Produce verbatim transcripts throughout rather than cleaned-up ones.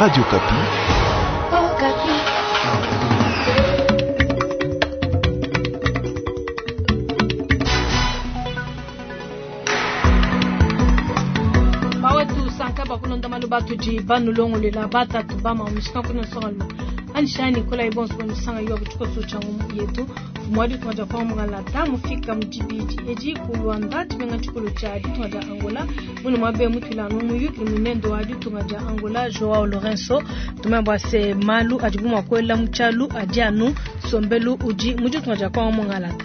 Radio Okapi. Bawetu sanka bakulonda malu batudi banulongolela batatu bama mishika kuna songalma anishani kola ibonso bonusanga yo kuchikoso changu yetu mwadi tumaja kwa mungalata mufika mujibiji eji ku Luanda tshimenga tshikulu tshia ditunga dia Angola munu mwabe mutwilanu muyukili munendo wa ditunga dia Angola Joao Lourenço tumambwa se malu adibu mwakwela mutshalu adi anu sombelu udi mu ditunga dia kwa mungalata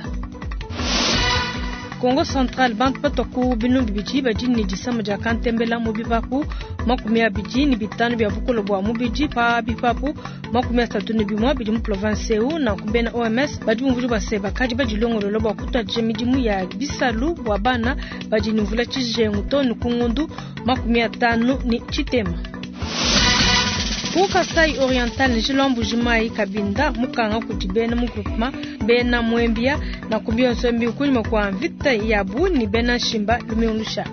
Kongo Central bantu batoku binu bibidi badi ne disama dia kantembela mu bipapu makumi abidi ne bitanu bia bukolo bua mubidi pa bipapu makumi asatu ne bimue bidi mu province eu nanku bena OMS badi bumvuija bua se bakadi badilongolola bua kutuadija midimu ya bisalu bua bana badi ne mvula tshijengu to ne ku ngondu makumi atanu ne tshitema. Ku Kasai Oriental njila Mbuji-Mayi Kabinda mukanga kudi bena mu groupement bena Mwembia na kumbionso mbi kunyuma kwa mvita yabu ni bena Nshimba lumingu lushala.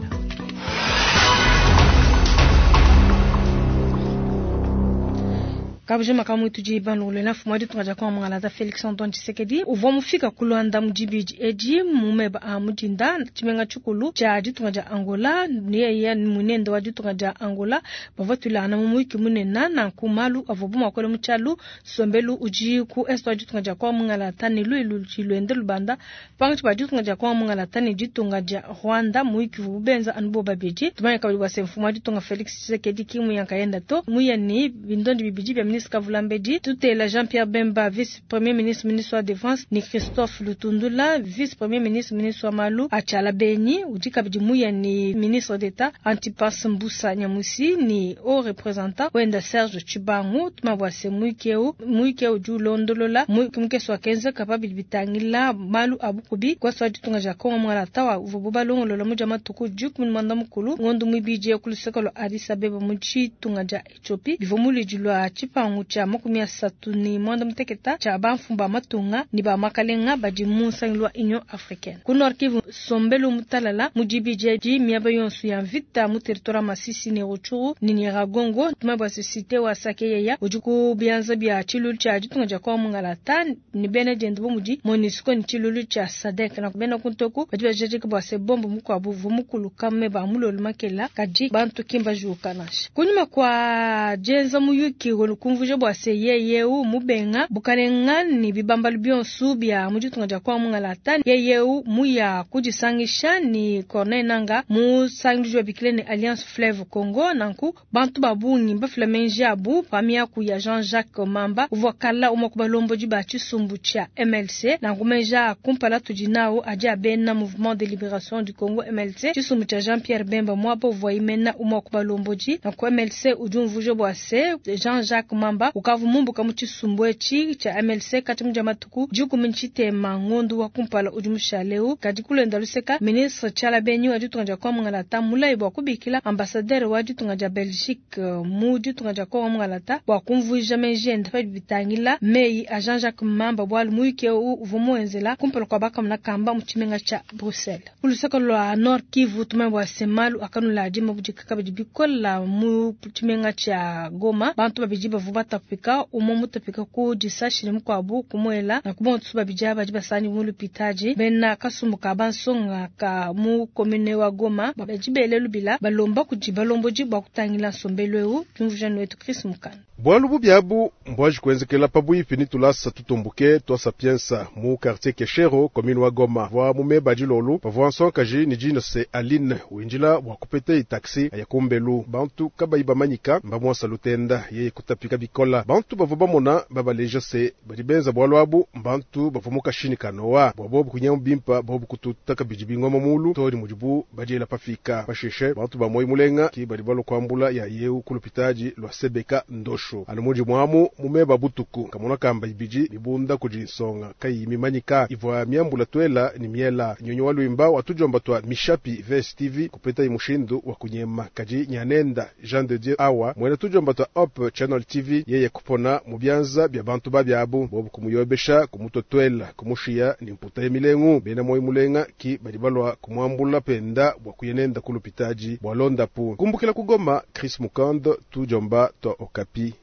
Kabujima kamwituji banulule mfumu wa ditunga dia Kongo Mungalata Felix Antoine Tshisekedi uvua mufika ku Luanda mu dibidi edi mu meba a mudinda tshimenga tshikulu tshia ditunga dia Angola yeye munende wa ditunga dia Angola bavua tuilangana mu muyuki munene nanku malu avua bu muakole mu tshialu sombelu udi ku est wa ditunga dia Kongo Mungalata ne luilu ludi luende lubanda pankatshi pa ditunga dia Kongo Mungalata ne ditunga dia Rwanda muyuki uvua bubenza anu bo babidi tumanye kabidi bua se mfumu wa ditunga Felix Tshisekedi ki muyankayenda to muya ne bindondi bibidi bia ministre Kavulambedi tutela Jean-Pierre Bemba vice premier ministre ministre wa défense ni Christophe Lutundula vice premier ministre ministre wa malu achala beni udi kabidi muya ni ministre d'État Antipas Mbusa Nyamusi ni haut représentant wenda Serge Tshibangu tumabwa se muikeu muikeu udi ulondolola mukese wa kenza kapabidi bitangila malu abukubi kwasa ditunga dia Kongo Mungalata wa uvubu balongolola muja matuku dikumi mwanda mukulu ngondo mwibidi ku luseke lwa Addis Abeba mu tshitunga dia Ethiopie bivua muludi lwa tshipangu tshia makumi asatu ne mwanda muteketa tshia bamfumu ba matunga ne ba makalenga badi mu nsangilu wa Union Africaine ku Nord Kivu sombelu mutalala mu dibidi edi miaba yonso ya mvita mu territoire Masisi ne Rutshuru ne Nyiragongo tumabwa société wa Sakeyeya udi ku bianza bia tshilulu tshia ditunga dia Kongo Mungalata ne bena diende bu mudi MONUSCO ne tshilulu tshia SADC na bena kuntoku badi bajadika bua se bombo mukuabu uvua mukuluka meba mulolu makela kadi bantu kimba juka nansha kunyuma kwa dienza muyuki kumvuja bua se yeyeu mubenga bukalenga ni bibambalu bionso bia mu ditunga dia Kongo Mungalata yeyeu muya kudisangisha ni Corneille Nanga mu sangilu bikile ne Alliance Fleuve Congo nanku bantu babungi bafila menji abu pamiaku ya Jean-Jacques Mamba uvua kala umwe ku balombodi ba tshisumbu tshia M L C nanku menja kumpala tudi nawo adi abena Mouvement de Libération du Congo M L C tshisumbu tshia Jean-Pierre Bemba mwabo uvua imena umwe ku balombodi nanku M L C udi umvuja bua se Jean-Jacques Mamba ukavu mumbuka mu tshisumbu etshi tshia M L C kati mudia matuku dikumi ntshitema ngondu wa kumpala udi mushaleu kadi kulenda luseka ministre Tshiala Benyi wa ditunga dia Kongo Mungalata mulayi bua kubikila ambassadeur wa ditunga dia Belgique mu ditunga dia Kongo Mungalata bua kumvuija menji ende pa bitangila meyi a Jean-Jacques Mamba bualu muyuki eu uvua muenzela kumpala kua bakamuna kamba mu tshimenga tshia Bruxelles. Ku luseke lua Nord Kivu tumanye bua se malu akanula adi mabudika kabidi bikola mu tshimenga tshia Goma bantu babidi bavua batapika umwe mutapika ku disashi ne mukuabu kumuela na kubonso babidi badi basani mu lupitaji bena kasumbu ka bansonga ka mu commune wa Goma badi bele lubila balomba kudi balombodi bua kutangila nsombelu eu diumvuija wetu Chris Mukana. Bwalu bubiabu mbwaji kuenzekela pabuipi ni tulasa tutumbuke twa Sapienza mu quartier Keshero commune wa Goma vwa mumeba dilolu pavua nsonkaji ni dina se Aline winjila bua kupeta itaxi ya kumbelu bantu kabayi bamanyika mbamwasa lutenda yeye kutapika bikola bantu bavua bamona babaleja se badi benza bwalu abu mbantu bavua mukashini kanoa bua bobu kunyamu bimpa bobu kututa kabidi bingoma mulu todi mudibu badiela pafika pasheshe bantu ba moyi mulenga ki badi balua kuambula ya yeu kulupitaji lwa sebeka ndosho. Lubeneshu. Anu mu dimua amu mu meba butuku kamona kamba ibidi mibunda kudi nsonga kayiyi mimanyika ivua miambula tuela ni miela. Nyunyi wa luimba wa tudiomba tua Mishapi V S T V kupetayi mushindu wa kunyema kadi nyanenda Jean de Dieu awa mwena tudiomba tua Hope Channel T V yeye kupona mu bianza bia bantu babiabu bobu kumuyobesha kumutotwela kumushia ni mputa ya milengu bena moyo mulenga ki badi balwa kumwambula penda bwa kuyenenda kulupitaji bwa londapu kumbukila kugoma Chris Mukando tudiomba tua Okapi.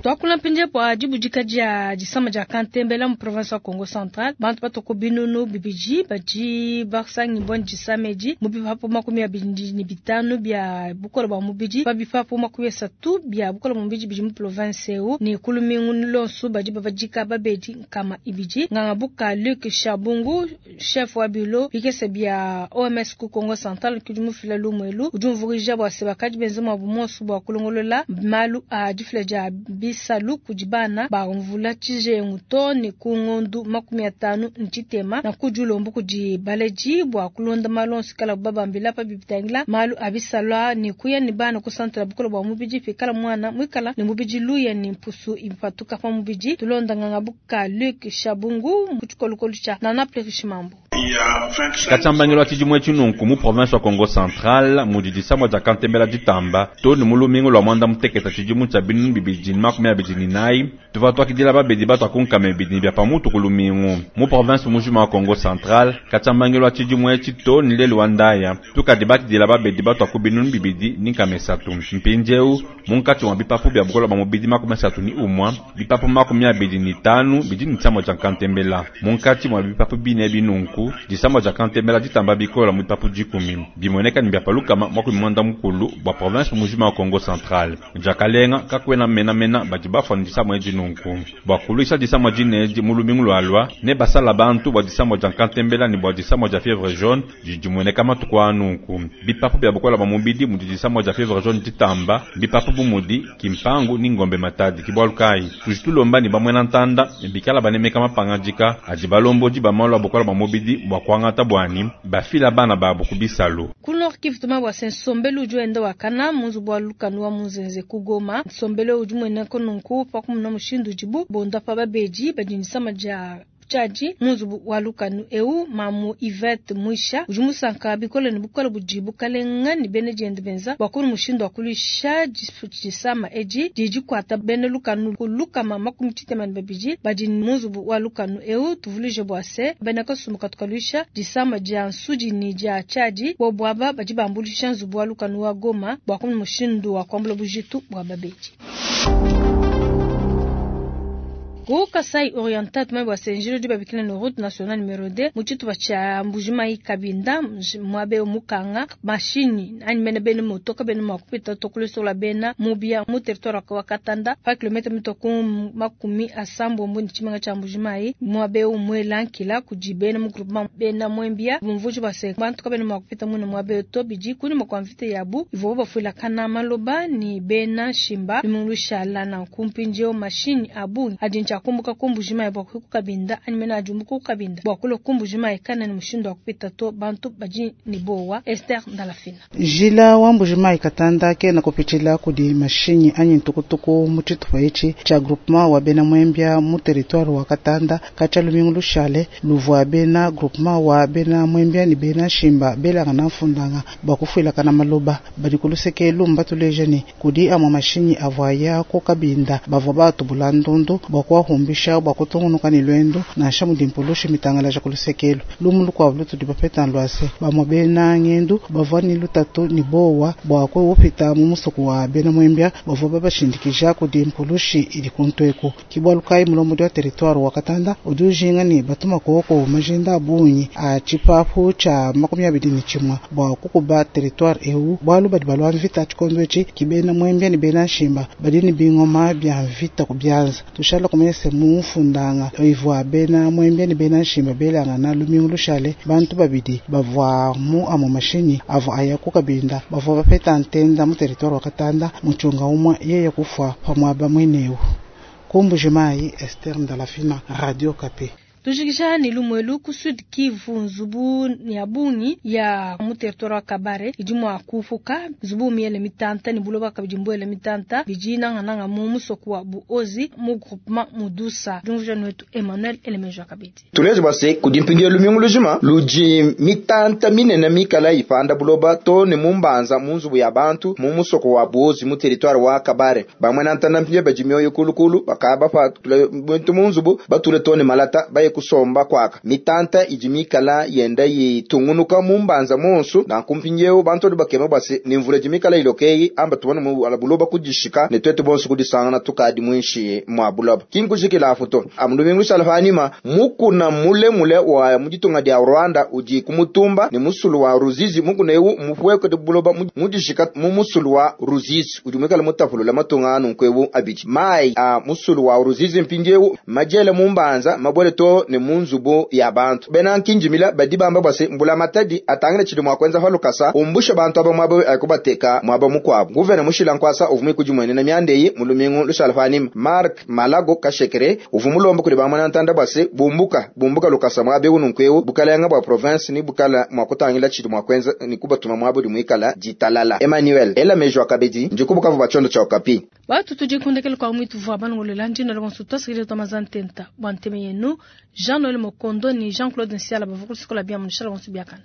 Twakula mpindieu bua dibudika dia disama dia kantembela mu province wa Kongo Central bantu batoko binunu bibidi badi basangi bua disama edi mu bipapu makumi abidi ne bitanu bia bukole bua mubidi pa bipapu makumi asatu bia bukole bua mubidi bidi mu province eu ne kulumingu lonso badi babadika babedi nkama ibidi nganga buka Luc Chabungu chef wa bilo bikese bia O M S ku Kongo Central kudi mufila lumwelu udi umvurija bua sebakadi benze mwa bumonso bua kulongolola malu a difila dia bisalu kudi bana ba mvula tshijengu to ne ku ngondu makumi atanu ntshitema na kudi ulomba kudi baledi bua kulonda malu onso kala babambila pa bibitangila malu a bisalua ne kuya ne bana kusantala bukole bua mubidi pikala mwana mwikala ne mubidi luya ne mpusu ipatuka pa mubidi tulonda nganga buka Luc Chabungu mu tshikolokolo tshia Nana Plerichimambo. Katsambangelo tshidimwe tshinunku mu province wa Kongo Central mudi disamwa dia kantembela ditamba to ne mulumingu lwa mwanda muteketa tshidimu tshia binunu bibidi ne makumi abidi ne nayi tuva twakidila babedi batwa kunkama ebidi bia pamutu ku lumingu mu province mujima wa Kongo Central katsambangelo tshidimwe tshito ne lelu wa ndaya tukadi bakidila babedi batwa ku binunu bibidi ne nkama esatu mpindieu munkatshi mwa bipapu bia bukola bwa mubidi makumi asatu ne umwa bipapu makumi abidi ne tanu bidi ne tshiamwa tshia kantembela munkatshi mwa bipapu bine binunku disamba dia kantembela ditamba bikola mu bipapu dikumi bimoneka ne bia palukama makumi mwanda mukulu bua province mujima wa Kongo Central diakalenga kakwena menamena badi bafua ne disamwa edi nunku bua kuluisha disamwa dine edi mu lumingu lualua ne basala bantu bua disamwa dia kantembela ne bua disamwa dia fièvre jaune didi dimueneka matuku a nunku bipapu bia bukola bua mubidi mudi disamwa dia fièvre jaune ditamba bipapu bu mudi kimpangu ni ngombe matadi kibwalu kayi tudi tulomba ne bamwena ntanda bikala banemeka mapangadika adi balombodi ba malu a bukola bua mubidi bua kuangata bwani bafila bana babu ku bisalu. Ku Nord Kivu tuma bua se nsombelu udi wenda wakana munzubu wa lukanu wa Munzenze ku Goma nsombelu udi mueneka nunku pa kumuna mushindu udibu bonda pa babedi badi nisama dia tshiadi munzubu wa lukanu eu mamu Yvette Mwisha udi musanka bikole ne bukole budi bukalenga ne bene diende benza bua kunu mushindu wa kuluisha disama edi didi kuata bene lukanu lukama makumi tshitema ne babidi badi munzubu wa lukanu eu tuvuluje bua se bene kasumbu katukaluisha disama dia nsudi ne dia tshiadi bobu aba badi bambulisha nzubu wa lukanu wa Goma bua kunu mushindu wa kuambula bujitu bua babedi. Ku Kasai Oriental tumai bua senjilo di babikila no route nationale numéro deux mu tshitupa tshia Mbujimayi Kabinda muabe mukanga mashini anyi mene bene motoka bene mua kupita tokulusola bena mubia mu territoire wa Katanda pa kilomètre mitoku makumi asambombo ni tshimenga tshia Mbujimayi muabe umwelankila kudi bena mu groupement bena mwembia mumvuji bua se bantu kabene mua kupita mune muabe to bidi kuni mwa mvita yabu ivo bafuila kana maloba ni bena shimba bimungulushala na kumpinjeo mashini abu adi kumbuka ku Mbujimayi bua ku Kabinda anyi mena ajumbuka ku Kabinda bua kulo ku Mbujimayi kana ni mushindu wa kupita to bantu badi ni bowa Esther Ndalafina Jila wa Mbujimayi Katanda ke na kupitshila kudi mashinyi anyi ntukutuku mu tshitupa etshi tshia groupement wa bena mwembia mu territoire wa Katanda katshia lumingu lushale luvua bena groupement wa bena mwembia ni bena shimba belanga na mfundanga bua kufuilakana maloba badi kuluseke lumba tuleja ni kudi amwa mashinyi avua ku Kabinda bavua batubula ndundu bua kwa kuhumbisha bua kutungunuka ne lwendo nansha mudi mpulushi mitangalaja kulusekelo lumu lukuabu lutudi bapeta lwase bamwe bena ngendu bavua ni lutatu ni bowa bua kuupita mu musuku wa bena mwembia bavua babashindikija kudi mpulushi idi kuntweku kibwalu kayi mulombodi wa territoire wa Katanda udi ujinga ni batuma koko majinda abunyi a tshipapu tshia makumi abidi ne tshimue bua kukuba territoire eu bwalu badi balwa mvita tshikondo etshi kibena mwembia ni bena nshimba badi ni bingoma bia mvita ku bianza tushala kumenya se mufundanga ivua bena mwembia ni bena nshimba belanga na lumingu lushale bantu babidi bavua mu amo mashinyi avua aya ku Kabinda bavua bapeta ntenda mu territoire wa Katanda muchunga umwe yeye kufwa pamwaba mweneu ku Mbujimayi Esther Ndalafina Radio Kapi. Tujikisha ni lumwelu ku Sud Kivu nzubu ya bungi ya mu territoire wa Kabare idi mwa kufuka nzubu miele mitanta ni buloba kabidi mbwele mitanta bidi nanga mu musoko wa Buozi mu groupement Mudusa. Jumvuja wetu Emmanuel Elemejo kabidi. Tuleje bwase kudimpindia lumingu lujima luji mitanta minene mikala ipanda buloba to ne mumbanza mu nzubu ya bantu mu musoko wa Buozi mu territoire wa Kabare. Bamwe nantana mpindia bajimyoyo kulukulu bakaba pa muntu mu nzubu batule to ne malata baye kusomba kwaka mitanta idi mikala yenda yitungunuka mumbanza monsu na kumpinyewo bantu bakema bwase ni mvula jimikala ilokeyi amba tubona mu ala buloba kudishika ne twete bonso kudisangana tukadi mwinshi mwa buloba kinkujikila afuto amulumingu salfanima mukuna mule mule wa muditunga dia Rwanda udi kumutumba ni musulu wa Ruzizi mukuna ewu mufweko de buloba mudishika mu musulu wa Ruzizi udi mwikala mutapulula matunga anu nkwewu abidi mai a musulu wa Ruzizi mpindiewu majele mumbanza mabwele to ne munzubu ya bantu bena nkinjimila badi bamba bwase mbula matadi atangile chidi mwakwenza falukasa umbusha bantu aba mwabo akubateka mwaba mukwabo guvena mushila nkwasa uvumi kujimwene na myandeyi mulumingu lushalfanima Mark Malago Kashekere uvumulomba kuli bamwana ntanda bwase bumbuka bumbuka lukasa mwabe ununkwewu bukalanga bwa province ni bukala mwakutangila chidi mwakwenza ni kubatuma mwabo limwikala jitalala Emmanuel ela mejo akabedi njikubuka bachondo cha okapi batu tujikundekele kwa mwitu vwa banongolela njina lwansu twasikile twamazantenta bwa nteme yenu Jean-Noël Mokondo ni Jean-Claude Nsiala bavukulu sikola bia munishala wansu biakana.